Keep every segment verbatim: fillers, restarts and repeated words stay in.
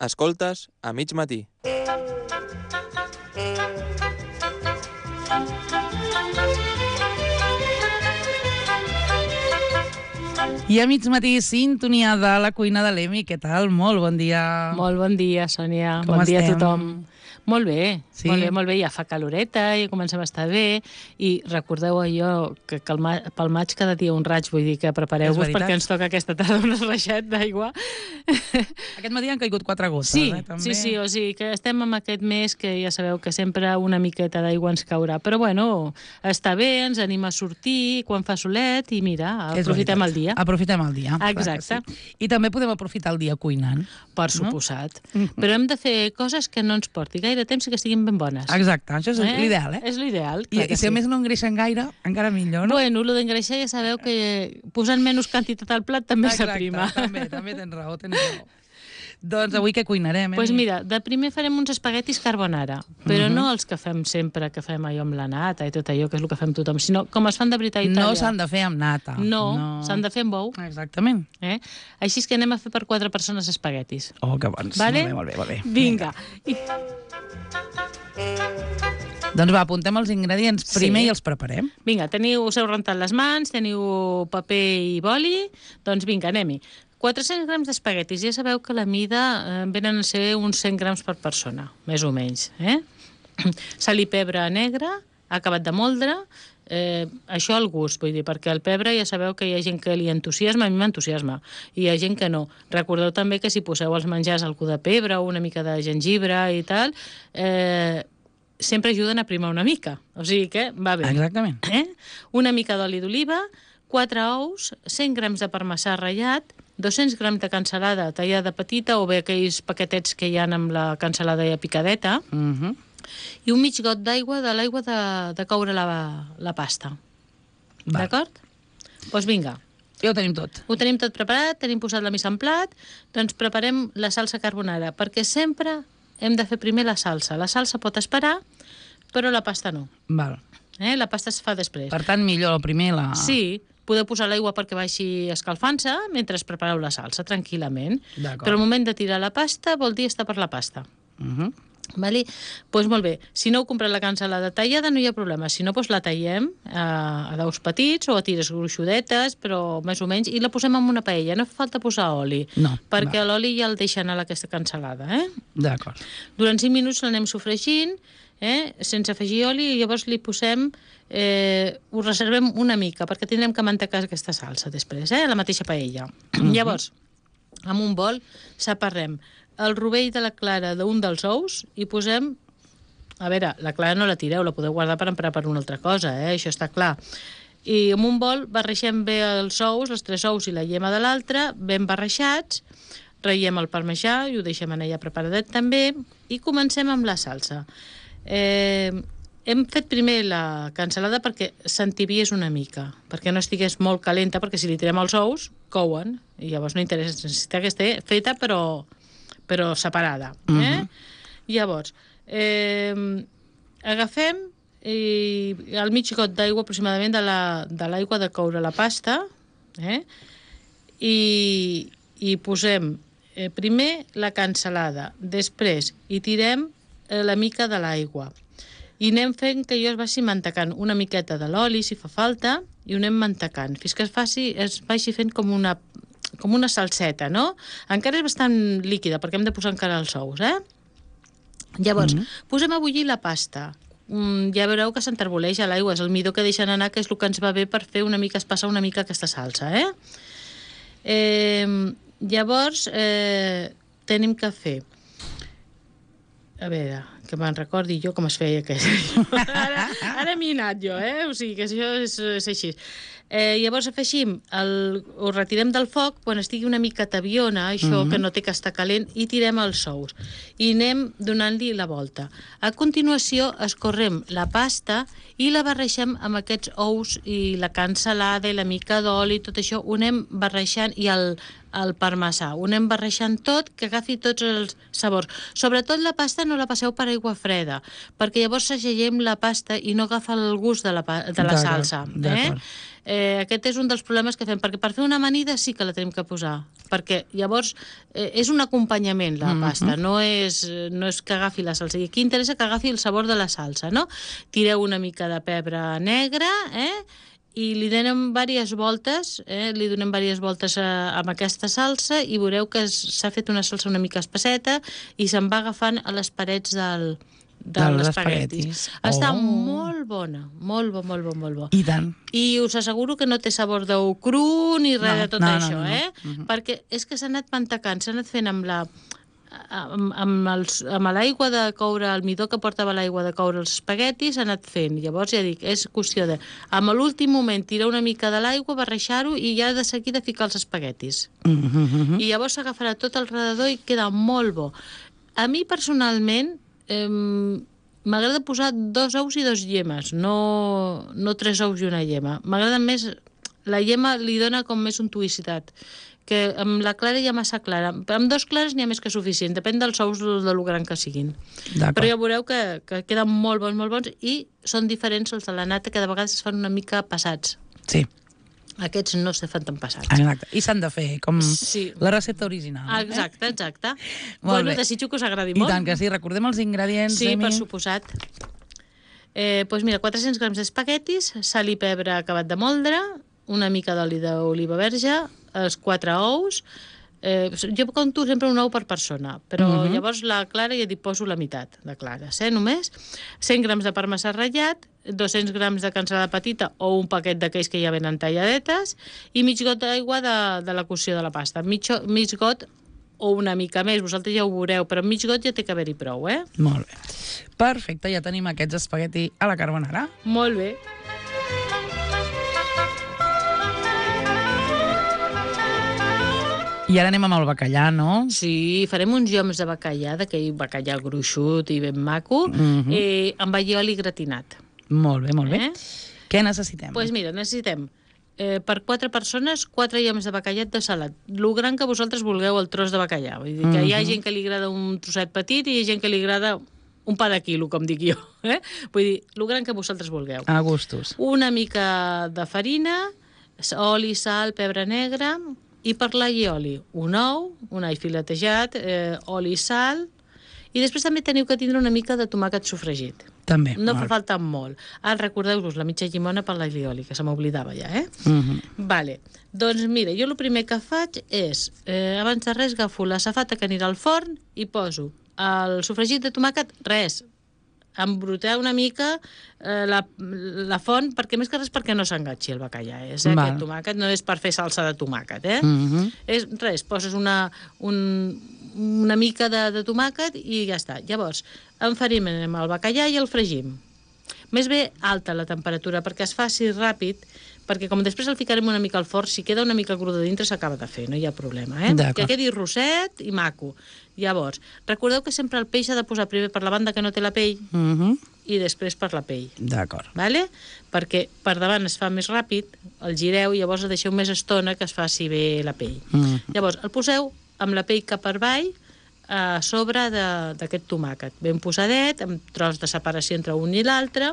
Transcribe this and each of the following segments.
Escoltes a mig matí. I a mig matí, sintonia de la cuina de l'Emi. Què tal? Molt bon dia. Molt bon dia, Sònia. Com bon dia estem? a tothom. Molt bé, Sí? molt bé, molt bé. Ja fa caloreta, ja comencem a estar bé. I recordeu allò que, que el ma pel maig cada dia un raig, vull dir que prepareu-vos perquè ens toca aquesta tarda un reixet d'aigua. Aquest matí han caigut quatre gotes, Sí, eh? També. sí, sí, o sigui que estem en aquest mes que ja sabeu que sempre una miqueta d'aigua ens caurà. Però bueno, està bé, ens anima a sortir quan fa solet i mira, És aprofitem veritat. el dia. Aprofitem el dia. clar que Exacte. Sí. I també podem aprofitar el dia cuinant. Per suposat. Però hem de fer coses que no ens porti gaire temps i que estiguin ben bones. Exacte, això és Eh? l'ideal, eh? És l'ideal, I, clar que I si a sí. més no engreixen gaire, encara millor, no? Bueno, el d'engreixar ja sabeu que posant menys quantitat al plat també s'aprima. Exacte, també, també tens raó, tens raó. Doncs avui què cuinarem, eh? Doncs pues mira, de primer farem uns espaguetis carbonara, però Mhm. no els que fem sempre, que fem allò amb la nata i tot allò, que és el que fem tothom, sinó com es fan de veritat a Itàlia. No s'han de fer amb nata. No, s'han de fer amb ou. Exactament. Eh? Així és que anem a fer per quatre persones espaguetis. Oh, que bons. Vale? Molt bé, molt bé. Molt bé. Vinga. I... Doncs va, apuntem els ingredients primer Sí. i els preparem. Vinga, teniu, us heu rentat les mans, teniu paper i boli, doncs vinga, anem-hi. quatre-cents grams d'espaguetis, ja sabeu que la mida eh, venen a ser uns cent grams per persona, més o menys. Eh? Sal i pebre negre, acabat de moldre, eh, això al gust, vull dir, perquè el pebre ja sabeu que hi ha gent que li entusiasma, a mi m'entusiasma, i hi ha gent que no. Recordeu també que si poseu als menjars algú de pebre o una mica de gengibre i tal, eh, sempre ajuden a primar una mica, o sigui que va bé. Exactament. Eh? Una mica d'oli d'oliva, quatre ous, cent grams de parmesà ratllat, dos-cents grams de cansalada tallada petita o bé aquells paquetets que hi ha amb la cansalada ja picadeta, Uh -huh. i un mig got d'aigua de l'aigua de, de coure la, la pasta. Val. D'acord? Doncs vinga. Ja ho tenim tot. Ho tenim tot preparat, tenim posat la mise en plat, doncs preparem la salsa carbonara, perquè sempre hem de fer primer la salsa. La salsa pot esperar, però la pasta no. Val. Eh? La pasta es fa després. Per tant, millor el primer la... Sí, podeu posar l'aigua perquè vagi escalfant-se mentre prepareu la salsa, tranquil·lament. D'acord. Però al moment de tirar la pasta vol dir estar per la pasta. Uh -huh. Vale? Doncs molt bé, si no heu comprat la cansalada tallada no hi ha problema, si no doncs la tallem a, a daus petits o a tires gruixudetes, però més o menys, i la posem en una paella, no fa falta posar oli, No, perquè va. l'oli ja el deixa anar a aquesta cansalada, eh? D'acord. Durant cinc minuts l'anem sofregint, eh? Sense afegir oli, i llavors li posem, eh, ho reservem una mica, perquè tindrem que mantecar aquesta salsa després, eh? A la mateixa paella. Mhm. Llavors, amb un bol separem el rovell de la clara d'un dels ous i posem... A veure, la clara no la tireu, la podeu guardar per emprar per una altra cosa, eh? Això està clar. I amb un bol barreixem bé els ous, els tres ous i la llema de l'altre, ben barreixats, ratllem el parmesà i ho deixem allà preparadet també, i comencem amb la salsa. Eh, hem fet primer la cansalada perquè s'entibiés una mica, perquè no estigués molt calenta, perquè si li tirem els ous, couen, i llavors no interessa, necessita que estigui feta però, però separada. Eh? Mhm. Llavors, eh, agafem i el mig got d'aigua aproximadament de la- de l'aigua de coure la pasta, eh? I, i posem eh, primer la cansalada, després hi tirem eh, la mica de l'aigua i anem fent que allò es vagi mantecant una miqueta de l'oli si fa falta i ho anem mantecant fins que es faci, es vagi fent com una, com una salseta, no? Encara és bastant líquida perquè hem de posar encara els ous, eh? Llavors, mm-hmm. posem a bullir la pasta. Mm, ja veureu que s'enterboleix a l'aigua, és el midó que deixen anar, que és el que ens va bé per fer una mica, espassar una mica aquesta salsa, eh? eh llavors, eh, tenim que fer... A veure, que me'n recordi jo com es feia aquest. ara ara m'hi he anat jo, eh? O sigui que això és, és així. Eh, llavors afegim, el, ho retirem del foc quan estigui una mica tabiona, això mm-hmm. que no té que estar calent, i tirem els ous. I anem donant-li la volta. A continuació escorrem la pasta i la barreixem amb aquests ous i la cansalada i la mica d'oli, tot això ho anem barreixant, i el, el parmesà, ho anem barreixant tot, que agafi tots els sabors. Sobretot la pasta no la passeu per aigua freda, perquè llavors segellem la pasta i no agafa el gust de la, de la salsa. Eh? Eh, aquest és un dels problemes que fem, perquè per fer una amanida sí que la tenim que posar, perquè llavors eh, és un acompanyament la pasta, no és, no és que agafi la salsa. I aquí interessa que agafi el sabor de la salsa, no? Tireu una mica de pebre negre, eh? I li donem diverses voltes, eh? li donem diverses voltes a, amb aquesta salsa i veureu que s'ha fet una salsa una mica espesseta i se'n va agafant a les parets del, dels Dels espaguetis. espaguetis. Està Oh. molt bona, molt bo, molt bo, molt bo. I tant. I us asseguro que no té sabor d'ou cru ni res No, de tot no, no, això, no, no. eh? Mhm. Perquè és que s'ha anat mantecant, s'ha anat fent amb la amb, amb, els, amb l'aigua de coure, el midó que portava l'aigua de coure els espaguetis, s'ha anat fent. Llavors, ja dic, és qüestió de... Amb l'últim moment, tirar una mica de l'aigua, barrejar-ho i ja de seguida ficar els espaguetis. Mm -hmm. I llavors s'agafarà tot alrededor i queda molt bo. A mi, personalment, eh, m'agrada posar dos ous i dos llemes, no, no tres ous i una llema. M'agrada més... La llema li dona com més untuïcitat, que amb la clara ja massa clara. Amb dos clares n'hi ha més que suficient, depèn dels ous de lo gran que siguin. Però ja veureu que, que queden molt bons, molt bons, i són diferents els de la nata, que de vegades es fan una mica passats. Sí. Aquests no se fan tan passats. Exacte. I s'han de fer com Sí. la recepta original. Exacte, exacte. Molt Bueno, bé. desitjo que us agradi I molt. tant que sí. Recordem els ingredients, Sí, Emi? per suposat. Eh, doncs mira, quatre-cents grams d'espaguetis, sal i pebre acabat de moldre, una mica d'oli d'oliva verge, els quatre ous. Eh, jo compto sempre un ou per persona, però uh -huh. llavors la clara ja t'hi poso la meitat de clares, eh, només. cent grams de parmesà ratllat, dos-cents grams de cansalada petita o un paquet d'aquells que ja venen talladetes i mig got d'aigua de, de la cocció de la pasta. Mig, mig got o una mica més, vosaltres ja ho veureu, però mig got ja té que haver-hi prou, eh? Molt bé. Perfecte, ja tenim aquests espagueti a la carbonara. Molt bé. I ara anem amb el bacallà, no? Sí, farem uns lloms de bacallà, d'aquell bacallà gruixut i ben maco, Mhm. eh, amb allioli gratinat. Molt bé, molt bé. Eh? Què necessitem? Doncs pues mira, necessitem eh, per quatre persones, quatre lloms de bacallat de salat. Lo gran que vosaltres vulgueu el tros de bacallà. Vull dir que hi ha Mhm. gent que li agrada un trosset petit i hi ha gent que li agrada un pa de quilo, com dic jo. Eh? Vull dir, lo gran que vosaltres vulgueu. A gustos. Una mica de farina, oli, sal, pebre negre, i per l'allioli, un ou, un all filetejat, eh, oli i sal, i després també teniu que tindre una mica de tomàquet sofregit. També. No fa molt. falta molt. Ara recordeu-vos la mitja llimona per l'allioli, que se m'oblidava ja, eh? Mhm. Vale. Doncs mira, jo el primer que faig és, eh, abans de res, agafo la safata que anirà al forn i poso el sofregit de tomàquet, res, embrutar una mica eh, la, la font, perquè més que res perquè no s'engatxi el bacallà. És, eh? Val. Aquest tomàquet no és per fer salsa de tomàquet, eh? Mhm. És res, poses una, un, una mica de, de tomàquet i ja està. Llavors, enfarinem el bacallà i el fregim. Més bé alta la temperatura, perquè es faci ràpid, perquè com després el ficarem una mica al forn, si queda una mica cru de dintre s'acaba de fer, no hi ha problema, eh? D'acord. Que quedi rosset i maco. Llavors, recordeu que sempre el peix s'ha de posar primer per la banda que no té la pell Mhm. i després per la pell. D'acord. Vale? Perquè per davant es fa més ràpid, el gireu i llavors el deixeu més estona que es faci bé la pell. Mhm. Llavors el poseu amb la pell cap per avall a sobre de- d'aquest tomàquet, ben posadet, amb tros de separació entre un i l'altre,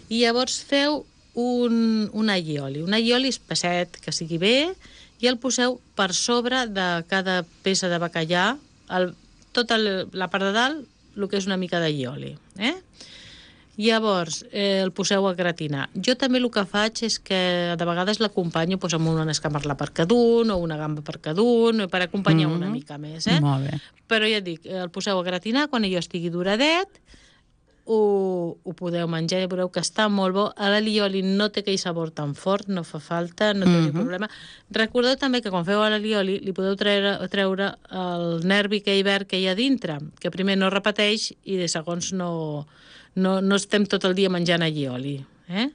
i llavors feu un, un allioli, un allioli espesset, que sigui bé, i el poseu per sobre de cada peça de bacallà, el, tota el, la part de dalt, el que és una mica d'allioli, eh? Llavors, eh, el poseu a gratinar. Jo també el que faig és que de vegades l'acompanyo doncs, amb una escamarla per cada un o una gamba per cada un, per acompanyar Mhm. una mica més, eh? Molt bé. Però ja et dic, el poseu a gratinar, quan allò estigui duradet, ho, ho podeu menjar, ja veureu que està molt bo. A l'allioli no té aquell sabor tan fort, no fa falta, no té Mhm. cap problema. Recordeu també que quan feu l'allioli li podeu treure, treure el nervi aquell verd que hi ha dintre, que primer no repeteix i de segons no, no, no estem tot el dia menjant allioli, eh?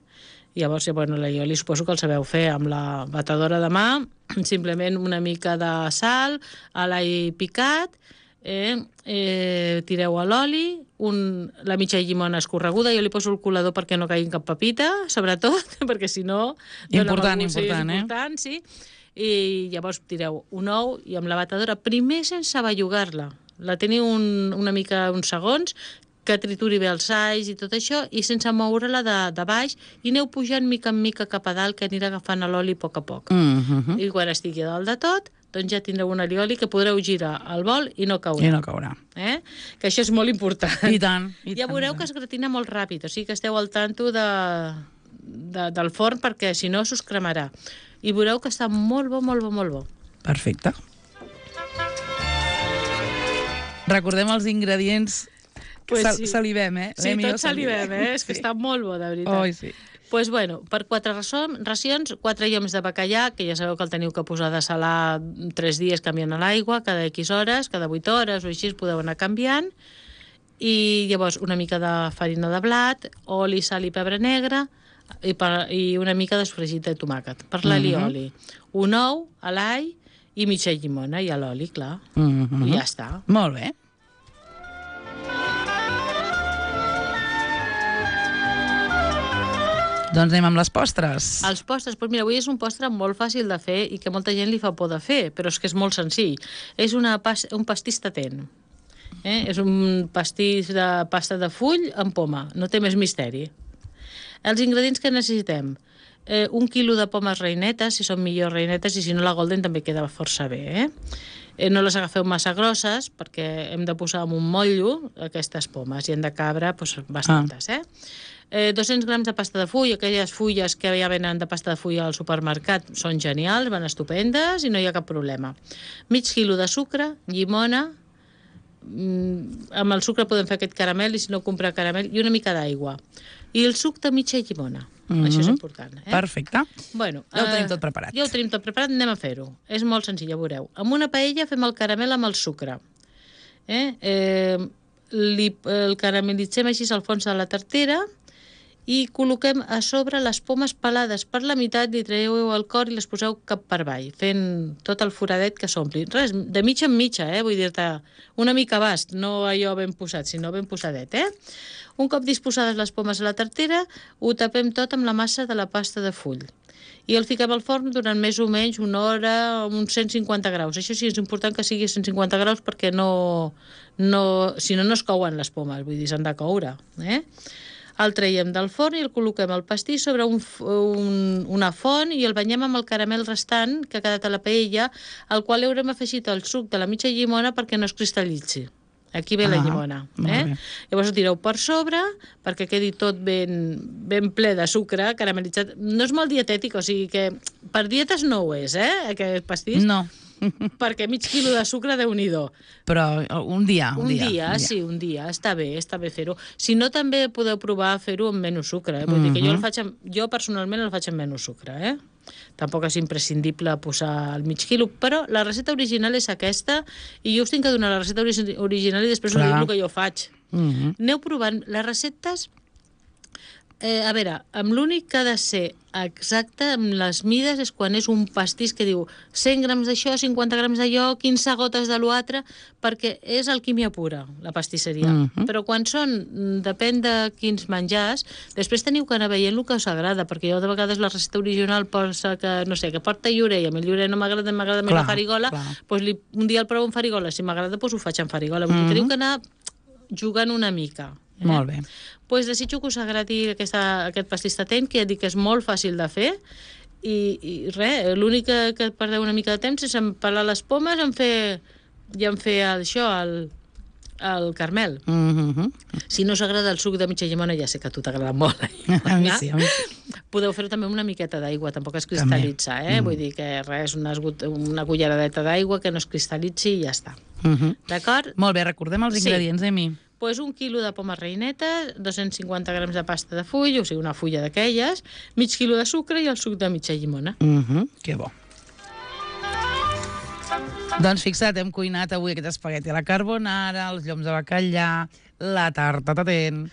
Llavors, ja, bueno, l'allioli suposo que el sabeu fer amb la batedora de mà, simplement una mica de sal, a l'all picat, eh, eh, tireu a l'oli, un, la mitja llimona escorreguda, jo li poso el colador perquè no caigui cap pepita, sobretot, perquè si no... dona Important, mal gust, sí, és important, eh? important, sí. I llavors tireu un ou i amb la batedora, primer sense bellugar-la, la teniu un, una mica uns segons, que trituri bé els alls i tot això, i sense moure-la de, de baix, i aneu pujant mica en mica cap a dalt, que anirà agafant l'oli a poc a poc. Mm-hmm. I quan estigui a dalt de tot, doncs ja tindreu un alioli que podreu girar al bol i no caurà. I no caurà. Eh? Que això és molt important. I tant. I ja tant, veureu i que tant. es gratina molt ràpid, o sigui que esteu al tanto de, de, del forn, perquè si no s'us cremarà. I veureu que està molt bo, molt bo, molt bo. Perfecte. Recordem els ingredients. Pues Sal sí. Salivem, eh? Sí, L'Emi i jo tots salivem, eh? És que Sí. està molt bo, de veritat. Oi, sí. Pues bueno, per quatre racions, quatre lloms de bacallà, que ja sabeu que el teniu que posar de salar tres dies canviant a l'aigua, cada X hores, cada vuit hores o així podeu anar canviant. I llavors una mica de farina de blat, oli, sal i pebre negre i, per, i una mica d'esfregit de tomàquet. Per l'alioli, un ou, a l'all i mitja llimona i a l'oli, clar. Mm-hmm. I ja està. Molt bé. Doncs anem amb les postres. Els postres, doncs mira, avui és un postre molt fàcil de fer i que molta gent li fa por de fer, però és que és molt senzill. És una pas, un pastís tatent. Eh? És un pastís de pasta de full amb poma, no té més misteri. Els ingredients que necessitem. Eh, un quilo de pomes reinetes, si són millor reinetes, i si no la golden també queda força bé. Eh? Eh, no les agafeu massa grosses, perquè hem de posar en un motllo aquestes pomes, i hem de cabre doncs, bastantes. Eh? Eh, dos-cents grams de pasta de full, aquelles fulles que ja venen de pasta de full al supermercat són genials, van estupendes i no hi ha cap problema. Mig quilo de sucre, llimona, mm, amb el sucre podem fer aquest caramel i si no comprar caramel, i una mica d'aigua. I el suc de mitja llimona. Mm-hmm. Això és important. Eh? Perfecte. Bueno, Ja ho tenim eh, tot preparat. Ja ho tenim tot preparat, anem a fer-ho. És molt senzill, ja veureu. Amb una paella fem el caramel amb el sucre. Eh? Eh, li, el caramelitzem així al fons de la tartera i col·loquem a sobre les pomes pelades per la meitat, li traieu el cor i les poseu cap per avall, fent tot el foradet que s'ompli. Res, de mitja en mitja, eh? Vull dir-te, una mica bast, no allò ben posat, sinó ben posadet, eh? Un cop disposades les pomes a la tartera, ho tapem tot amb la massa de la pasta de full. I el fiquem al forn durant més o menys una hora, uns cent cinquanta graus. Això sí, és important que sigui cent cinquanta graus perquè no, no, si no, no es couen les pomes, vull dir, s'han de coure, eh? El traiem del forn i el col·loquem al pastís sobre un, un, una font i el banyem amb el caramel restant que ha quedat a la paella, al qual haurem afegit el suc de la mitja llimona perquè no es cristal·litzi. Aquí ve ah, la llimona. Eh? Llavors ho tireu per sobre perquè quedi tot ben, ben ple de sucre caramelitzat. No és molt dietètic, o sigui que per dietes no ho és, eh, aquest pastís. No. Perquè mig quilo de sucre, Déu-n'hi-do. Però un dia, un, un dia. dia. Un dia, sí, un dia. Està bé, està bé fer-ho. Si no, també podeu provar a fer-ho amb menys sucre. Eh? Vull mm-hmm. dir que jo, el faig amb, jo personalment el faig amb menys sucre. Eh? Tampoc és imprescindible posar el mig quilo, però la recepta original és aquesta i jo us tinc que donar la recepta original i després us dic el que jo faig. Mm-hmm. Aneu provant les receptes. Eh, a veure, amb l'únic que ha de ser exacte amb les mides és quan és un pastís que diu cent grams d'això, cinquanta grams d'allò, quinze gotes de l'altre, perquè és alquímia pura, la pastisseria. Mm-hmm. Però quan són, depèn de quins menjars, després teniu que anar veient el que us agrada, perquè jo de vegades la recepta original posa que, no sé, que porta llorer, i a mi el llorer no m'agrada, m'agrada més la farigola, doncs li, un dia el provo en farigola, si m'agrada doncs ho faig en farigola. Vull dir, mm-hmm. teniu que anar jugant una mica. Eh? Molt bé. Pues desitjo que us agradi aquesta, aquest pastís tatent, que ja dic que és molt fàcil de fer, i, i res, l'únic que, que perdeu una mica de temps és en pelar les pomes en fer, i en fer això, el, el carmel. Mm-hmm. Si no us agrada el suc de mitja llimona, ja sé que a tu t'agrada molt. A mi sí, a mi sí. Podeu fer-ho també amb una miqueta d'aigua, tampoc es cristal·litza, eh? Mm. Vull dir que res, una, una culleradeta d'aigua que no es cristal·litzi i ja està. Mm-hmm. D'acord? Molt bé, recordem els ingredients, sí. Emi. Pues un quilo de pomes reinetes, dos-cents cinquanta grams de pasta de full, o sigui, una fulla d'aquelles, mig quilo de sucre i el suc de mitja llimona. Mm-hmm. Que bo. Doncs fixa't, hem cuinat avui aquest espagueti a la carbonara, els lloms de bacallà, la tarta tatent.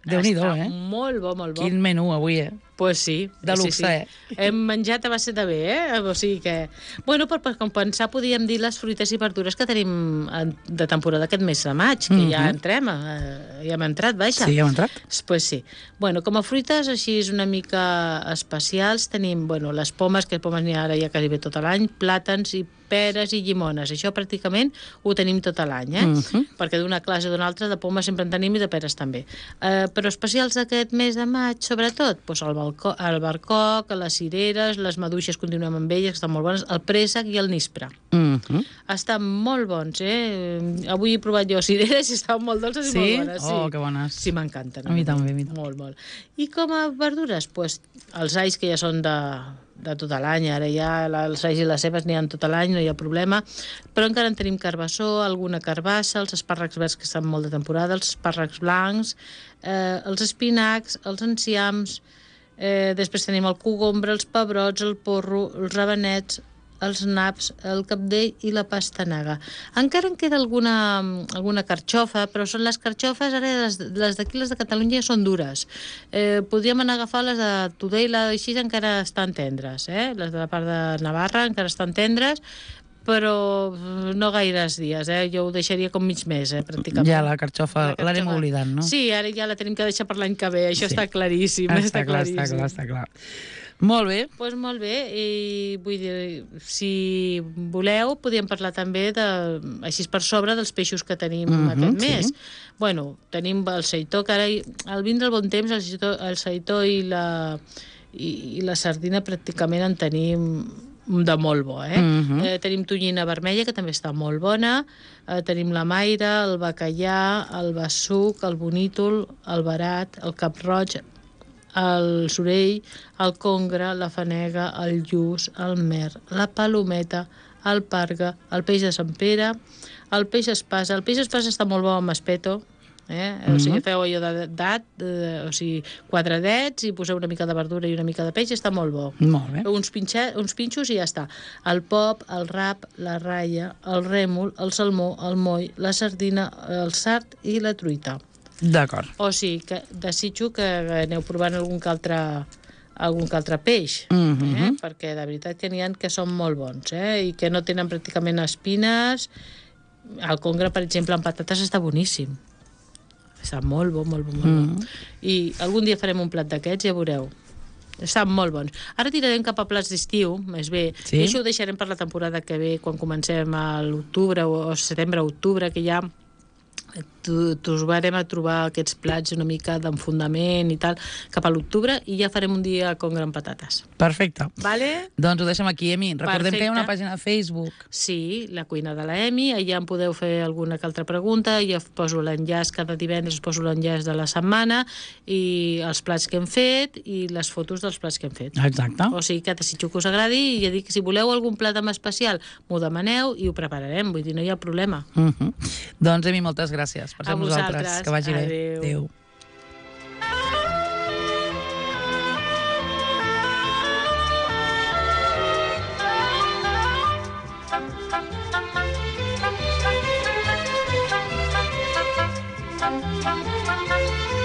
Déu-n'hi-do, eh? Està molt bo, molt bo. Quin menú avui, eh? Pues sí. De luxe, sí, sí. eh? Hem menjat a base de bé, eh? O sigui que... Bueno, per, per compensar podíem dir les fruites i verdures que tenim de temporada aquest mes de maig, que mm -hmm. ja entrem, eh, ja hem entrat, vaja. Sí, ja hem entrat. Pues sí. Bueno, com a fruites així és una mica especials, tenim, bueno, les pomes, que pomes n'hi ha ara ja quasi bé tot l'any, plàtans i peres i llimones. Això pràcticament ho tenim tot l'any, eh? Mm-hmm. Perquè d'una classe o d'una altra de pomes sempre en tenim i de peres també. Eh, però especials d'aquest mes de maig, sobretot, doncs el, balcó, el barcoc, les cireres, les maduixes, continuem amb elles, que estan molt bones, el préssec i el nispre. Mm-hmm. Estan molt bons, eh? Avui he provat jo cireres i estaven molt dolces sí? i molt bones. Sí, oh, que bones. Sí, m'encanten. A mi també, a mi també. Molt, molt. I com a verdures, doncs, els alls que ja són de... de tot l'any, ara ja els alls i les cebes n'hi ha tot l'any, no hi ha problema, però encara en tenim carbassó, alguna carbassa, els espàrrecs verds que estan molt de temporada, els espàrrecs blancs, eh, els espinacs, els enciams, eh, després tenim el cogombre, els pebrots, el porro, els rabanets, els naps, el cabdell i la pastanaga. Encara en queda alguna, alguna carxofa, però són les carxofes, ara les, les d'aquí, les de Catalunya, són dures. Eh, podríem anar a agafar les de Tudela, així encara estan tendres, eh? Les de la part de Navarra encara estan tendres, però no gaires dies, eh? Jo ho deixaria com mig mes, eh, pràcticament. Ja la carxofa l'anem oblidant, no? Sí, ara ja la tenim que deixar per l'any que ve, això sí. Està claríssim. Està, està clar, claríssim. està clar, està clar. Molt bé. Doncs pues molt bé, i vull dir, si voleu, podríem parlar també, de, així per sobre, dels peixos que tenim mm-hmm, aquest mes. Sí. Bueno, tenim el seitó, que ara, al vindre el bon temps, el seitó, el seitó i, la, i, i la sardina pràcticament en tenim de molt bo, eh? Mm-hmm. eh? Tenim tonyina vermella, que també està molt bona, eh, tenim la maire, el bacallà, el bessuc, el bonítol, el verat, el cap-roig, el sorell, el congre, la fanega, el lluç, el mer, la palometa, el parga, el peix de Sant Pere, el peix espasa. El peix espasa està molt bo amb espeto, eh? Mm-hmm. O sigui, feu allò de dat, de, o sigui, quatre dets i poseu una mica de verdura i una mica de peix, està molt bo. Molt bé. Uns, pinxet, uns pinxos i ja està. El pop, el rap, la raia, el rèmol, el salmó, el moll, la sardina, el sard i la truita. D'acord. O sigui, que desitjo que aneu provant algun que altre, algun que altre peix, mm-hmm. eh? Perquè de veritat que n'hi ha que són molt bons, eh? I que no tenen pràcticament espines. El congre, per exemple, amb patates està boníssim. Està molt bo, molt bo, molt mm-hmm. bo. I algun dia farem un plat d'aquests, ja veureu. Estan molt bons. Ara tirarem cap a plats d'estiu, més bé. Sí? I això ho deixarem per la temporada que ve, quan comencem a l'octubre o setembre-octubre, que ja tornarem a trobar aquests plats una mica d'enfundament i tal, cap a l'octubre, i ja farem un dia con gran patates. Perfecte. Vale? Doncs ho deixem aquí, Emi. Recordem Perfecte. Que hi ha una pàgina de Facebook. Sí, la cuina de la Emi, allà em podeu fer alguna que altra pregunta, jo poso l'enllaç cada divendres, poso l'enllaç de la setmana i els plats que hem fet i les fotos dels plats que hem fet. Exacte. O sigui que desitjo que us agradi i ja dic, si voleu algun plat en especial, m'ho demaneu i ho prepararem, vull dir, no hi ha problema. Uh-huh. Doncs, Emi, moltes gràcies per ser amb nosaltres. Que vagi bé. Adéu. Adéu. Thank you.